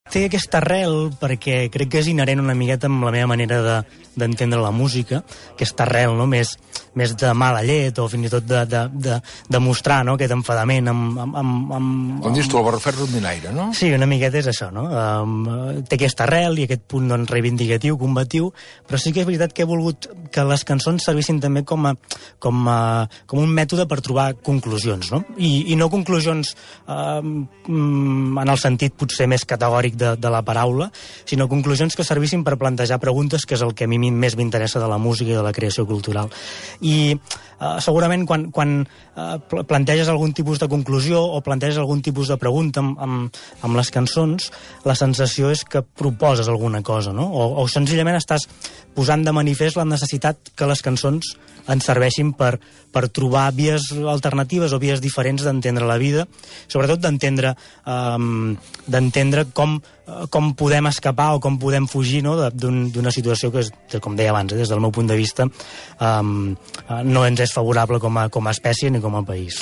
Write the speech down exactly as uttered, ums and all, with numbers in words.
Té aquesta arrel perquè crec que és inherent una miqueta amb la meva manera de, d'entendre la música, aquesta arrel, no?, més, més de mala llet o fins i tot de, de, de, de mostrar, no?, aquest enfadament amb... amb, amb, amb Com dius tu, el barrufet rondinaire, no? Sí, una miqueta és això, no? Um, té aquesta arrel i aquest punt, doncs, reivindicatiu, combatiu, però sí que és veritat que he volgut que les cançons servissin també com a, com a, com un mètode per trobar conclusions, no? I, i no conclusions um, en el sentit potser més categòric de, de la paraula, sinó conclusions que servissin per plantejar preguntes, que és el que a mi més m'interessa de la música i de la creació cultural. I uh, segurament quan, quan uh, planteges algun tipus de conclusió o planteges algun tipus de pregunta amb, amb, amb les cançons, la sensació és que proposes alguna cosa, no? O, o senzillament estàs posant de manifest la necessitat que les cançons ens serveixin per, per trobar vies alternatives o vies diferents d'entendre la vida, sobretot d'entendre um, d'entendre com, com podem escapar o com podem fugir, no?, d'una situació que, és, com deia abans, eh, des del meu punt de vista, um, no ens és favorable com a, com a espècie ni com a país.